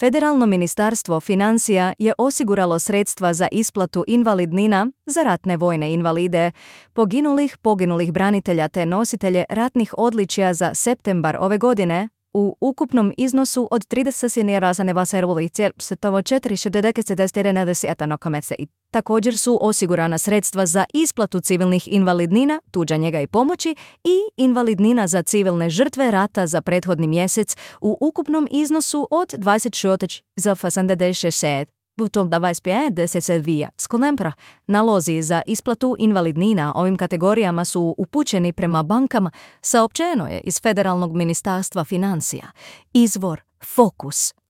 Federalno ministarstvo financija je osiguralo sredstva za isplatu invalidnina za ratne vojne invalide, poginulih branitelja te nositelje ratnih odličja za septembar ove godine u ukupnom iznosu od 30.441 i također su osigurana sredstva za isplatu civilnih invalidnina, tuđa njega i pomoći i invalidnina za civilne žrtve rata za prethodni mjesec u ukupnom iznosu od 26,76. Butom da 25 skolempra. Nalozi za isplatu invalidnina ovim kategorijama su upućeni prema bankama, saopćeno je iz Federalnog ministarstva financija. Izvor Fokus.